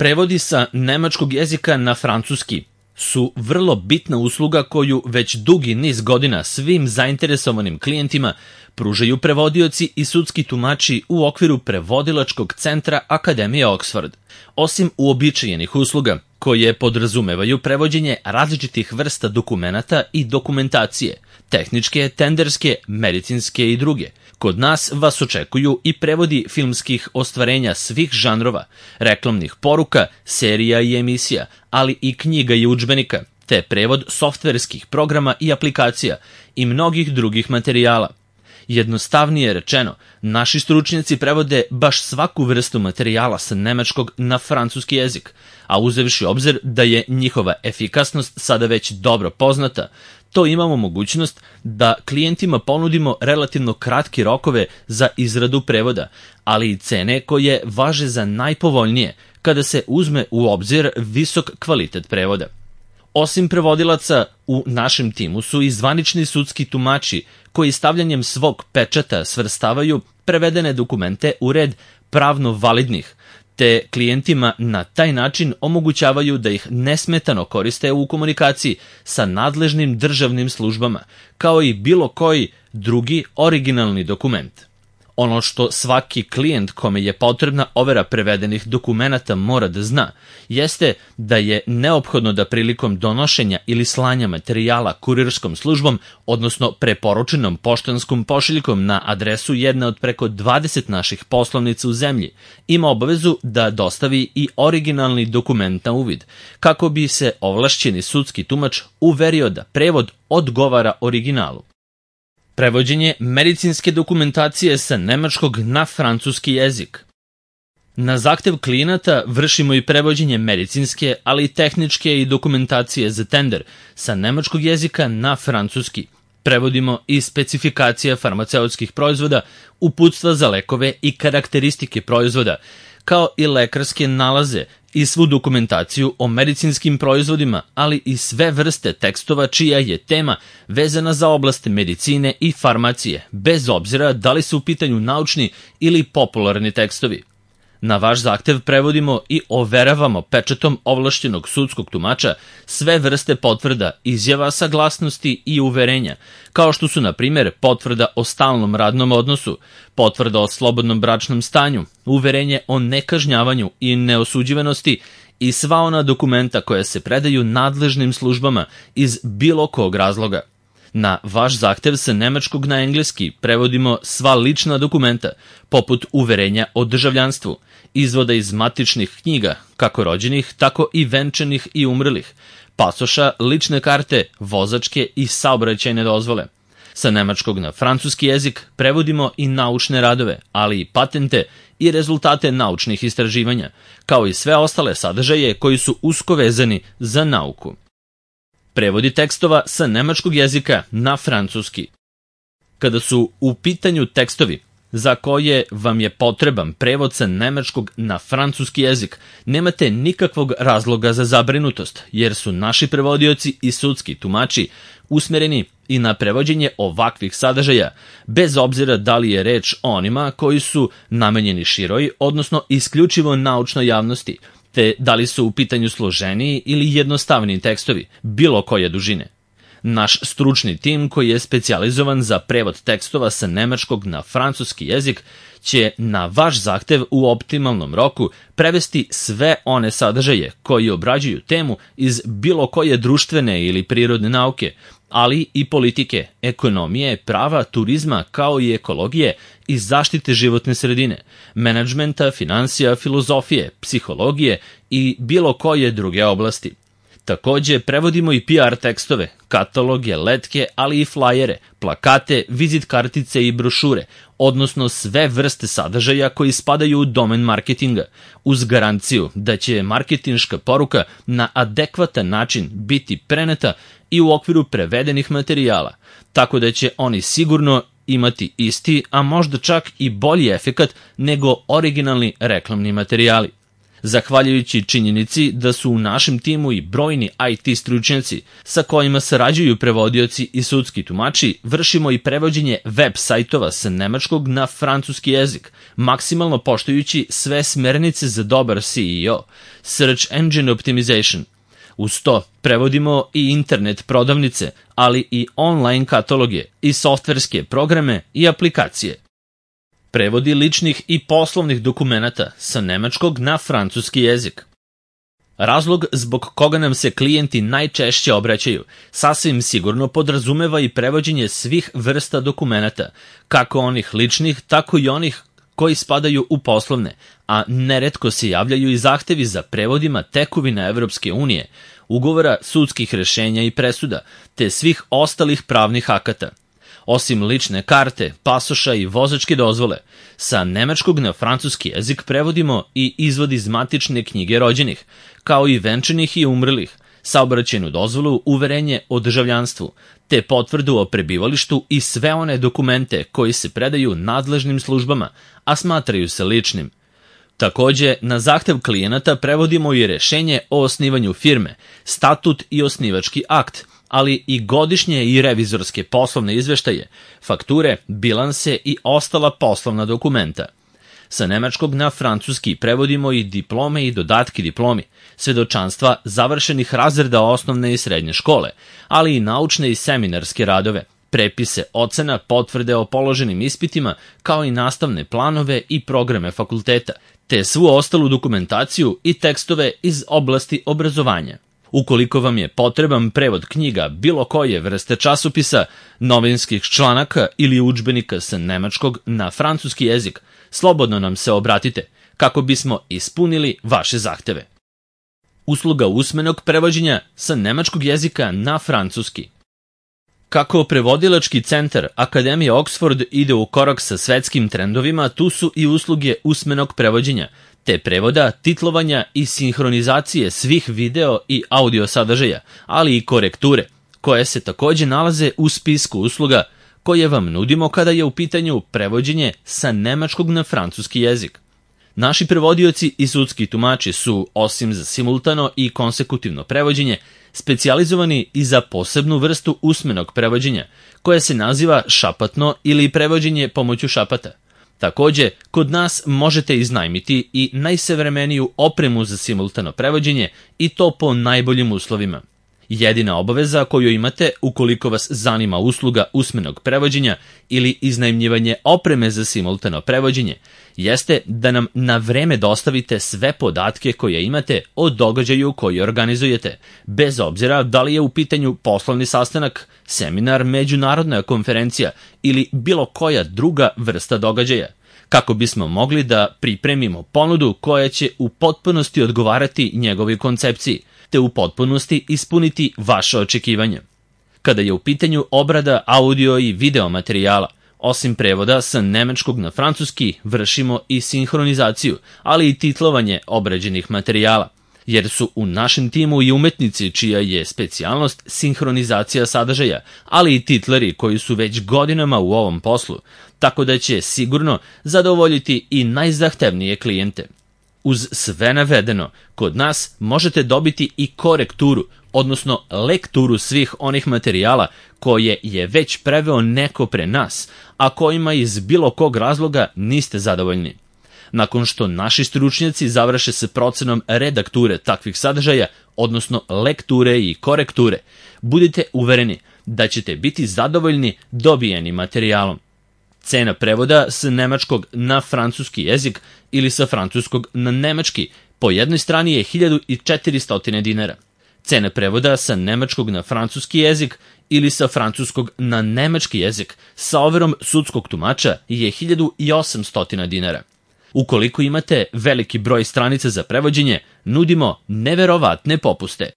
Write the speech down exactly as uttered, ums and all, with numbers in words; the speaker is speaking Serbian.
Prevodi sa nemačkog jezika na francuski su vrlo bitna usluga koju već dugi niz godina svim zainteresovanim klijentima pružaju prevodioci i sudski tumači u okviru prevodilačkog centra Akademije Oxford. Osim uobičajenih usluga koje podrazumevaju prevođenje različitih vrsta dokumenata i dokumentacije, tehničke, tenderske, medicinske i druge, kod nas vas očekuju i prevodi filmskih ostvarenja svih žanrova, reklamnih poruka, serija i emisija, ali i knjiga i udžbenika, te prevod softverskih programa i aplikacija i mnogih drugih materijala. Jednostavnije rečeno, naši stručnjaci prevode baš svaku vrstu materijala sa nemačkog na francuski jezik, a uzevši obzir da je njihova efikasnost sada već dobro poznata, to imamo mogućnost da klijentima ponudimo relativno kratke rokove za izradu prevoda, ali i cene koje važe za najpovoljnije kada se uzme u obzir visok kvalitet prevoda. Osim prevodilaca, u našem timu su i zvanični sudski tumači koji stavljanjem svog pečata svrstavaju prevedene dokumente u red pravno validnih, te klijentima na taj način omogućavaju da ih nesmetano koriste u komunikaciji sa nadležnim državnim službama, kao i bilo koji drugi originalni dokument. Ono što svaki klijent kome je potrebna overa prevedenih dokumenata mora da zna, jeste da je neophodno da prilikom donošenja ili slanja materijala kurirskom službom, odnosno preporučenom poštanskom pošiljkom na adresu jedne od preko dvadeset naših poslovnica u zemlji, ima obavezu da dostavi i originalni dokument na uvid, kako bi se ovlašćeni sudski tumač uverio da prevod odgovara originalu. Prevođenje medicinske dokumentacije sa nemačkog na francuski jezik. Na zahtev klijenata vršimo i prevođenje medicinske, ali i tehničke i dokumentacije za tender sa nemačkog jezika na francuski. Prevodimo i specifikacije farmaceutskih proizvoda, uputstva za lekove i karakteristike proizvoda, kao i lekarske nalaze i svu dokumentaciju o medicinskim proizvodima, ali i sve vrste tekstova čija je tema vezana za oblast medicine i farmacije, bez obzira da li su u pitanju naučni ili popularni tekstovi. Na vaš zahtev prevodimo i overavamo pečatom ovlašćenog sudskog tumača sve vrste potvrda, izjava, saglasnosti i uverenja, kao što su, na primjer, potvrda o stalnom radnom odnosu, potvrda o slobodnom bračnom stanju, uverenje o nekažnjavanju i neosuđivanosti i sva ona dokumenta koja se predaju nadležnim službama iz bilo kog razloga. Na vaš zahtev sa nemačkog na engleski prevodimo sva lična dokumenta, poput uverenja o državljanstvu, izvoda iz matičnih knjiga, kako rođenih, tako i venčanih i umrlih, pasoša, lične karte, vozačke i saobraćajne dozvole. Sa nemačkog na francuski jezik prevodimo i naučne radove, ali i patente i rezultate naučnih istraživanja, kao i sve ostale sadržaje koji su usko vezani za nauku. Prevodi tekstova sa nemačkog jezika na francuski. Kada su u pitanju tekstovi za koje vam je potreban prevod sa nemačkog na francuski jezik, nemate nikakvog razloga za zabrinutost, jer su naši prevodioci i sudski tumači usmereni i na prevođenje ovakvih sadržaja, bez obzira da li je reč o onima koji su namenjeni široj, odnosno isključivo naučnoj javnosti, te da li su u pitanju složeniji ili jednostavniji tekstovi, bilo koje dužine. Naš stručni tim koji je specijalizovan za prevod tekstova sa nemačkog na francuski jezik će na vaš zahtev u optimalnom roku prevesti sve one sadržaje koji obrađuju temu iz bilo koje društvene ili prirodne nauke, ali i politike, ekonomije, prava, turizma kao i ekologije i zaštite životne sredine, menadžmenta, finansija, filozofije, psihologije i bilo koje druge oblasti. Takođe, prevodimo i P R tekstove, kataloge, letke, ali i flajere, plakate, vizit kartice i brošure, odnosno sve vrste sadržaja koji spadaju u domen marketinga, uz garanciju da će marketinška poruka na adekvatan način biti preneta i u okviru prevedenih materijala, tako da će oni sigurno imati isti, a možda čak i bolji efekat nego originalni reklamni materijali. Zahvaljujući činjenici da su u našem timu i brojni I T stručnjaci sa kojima sarađuju prevodioci i sudski tumači, vršimo i prevođenje web sajtova sa nemačkog na francuski jezik, maksimalno poštujući sve smernice za dobar S E O, Search Engine Optimization. Uz to prevodimo i internet prodavnice, ali i online kataloge i softverske programe i aplikacije. Prevodi ličnih i poslovnih dokumenata sa nemačkog na francuski jezik. Razlog zbog koga nam se klijenti najčešće obraćaju sasvim sigurno podrazumeva i prevođenje svih vrsta dokumenata, kako onih ličnih, tako i onih koji spadaju u poslovne, a neretko se javljaju i zahtevi za prevodima tekovina Evropske unije, ugovora, sudskih rešenja i presuda, te svih ostalih pravnih akata. Osim lične karte, pasoša i vozačke dozvole, sa nemačkog na francuski jezik prevodimo i izvod iz matične knjige rođenih, kao i venčanih i umrlih, saobraćajnu dozvolu, uverenje o državljanstvu, te potvrdu o prebivalištu i sve one dokumente koji se predaju nadležnim službama, a smatraju se ličnim. Takođe, na zahtev klijenata prevodimo i rešenje o osnivanju firme, statut i osnivački akt, ali i godišnje i revizorske poslovne izveštaje, fakture, bilanse i ostala poslovna dokumenta. Sa nemačkog na francuski prevodimo i diplome i dodatke diplomi, svedočanstva završenih razreda osnovne i srednje škole, ali i naučne i seminarske radove, prepise ocena, potvrde o položenim ispitima, kao i nastavne planove i programe fakulteta, te svu ostalu dokumentaciju i tekstove iz oblasti obrazovanja. Ukoliko vam je potreban prevod knjiga bilo koje vrste časopisa, novinskih članaka ili udžbenika sa nemačkog na francuski jezik, slobodno nam se obratite kako bismo ispunili vaše zahteve. Usluga usmenog prevođenja sa nemačkog jezika na francuski. Kako prevodilački centar Akademije Oxford ide u korak sa svetskim trendovima, tu su i usluge usmenog prevođenja, te prevoda, titlovanja i sinhronizacije svih video i audio sadržaja, ali i korekture, koje se takođe nalaze u spisku usluga koje vam nudimo kada je u pitanju prevođenje sa nemačkog na francuski jezik. Naši prevodioci i sudski tumači su, osim za simultano i konsekutivno prevođenje, specijalizovani i za posebnu vrstu usmenog prevođenja, koje se naziva šapatno ili prevođenje pomoću šapata. Takođe, kod nas možete iznajmiti i najsavremeniju opremu za simultano prevođenje i to po najboljim uslovima. Jedina obaveza koju imate ukoliko vas zanima usluga usmenog prevođenja ili iznajmljivanje opreme za simultano prevođenje jeste da nam na vreme dostavite sve podatke koje imate o događaju koji organizujete, bez obzira da li je u pitanju poslovni sastanak, seminar, međunarodna konferencija ili bilo koja druga vrsta događaja, kako bismo mogli da pripremimo ponudu koja će u potpunosti odgovarati njegovoj koncepciji, te u potpunosti ispuniti vaše očekivanja. Kada je u pitanju obrada audio i video materijala, osim prevoda sa nemačkog na francuski, vršimo i sinhronizaciju, ali i titlovanje obrađenih materijala, jer su u našem timu i umetnici čija je specijalnost sinhronizacija sadržaja, ali i titleri koji su već godinama u ovom poslu, tako da će sigurno zadovoljiti i najzahtevnije klijente. Uz sve navedeno, kod nas možete dobiti i korekturu, odnosno lekturu svih onih materijala koje je već preveo neko pre nas, a kojima iz bilo kog razloga niste zadovoljni. Nakon što naši stručnjaci završe se procenom redakture takvih sadržaja, odnosno lekture i korekture, budite uvereni da ćete biti zadovoljni dobijenim materijalom. Cena prevoda sa nemačkog na francuski jezik ili sa francuskog na nemački po jednoj strani je hiljadu četiristo dinara. Cena prevoda sa nemačkog na francuski jezik ili sa francuskog na nemački jezik sa overom sudskog tumača je hiljadu osamsto dinara. Ukoliko imate veliki broj stranica za prevođenje, nudimo neverovatne popuste.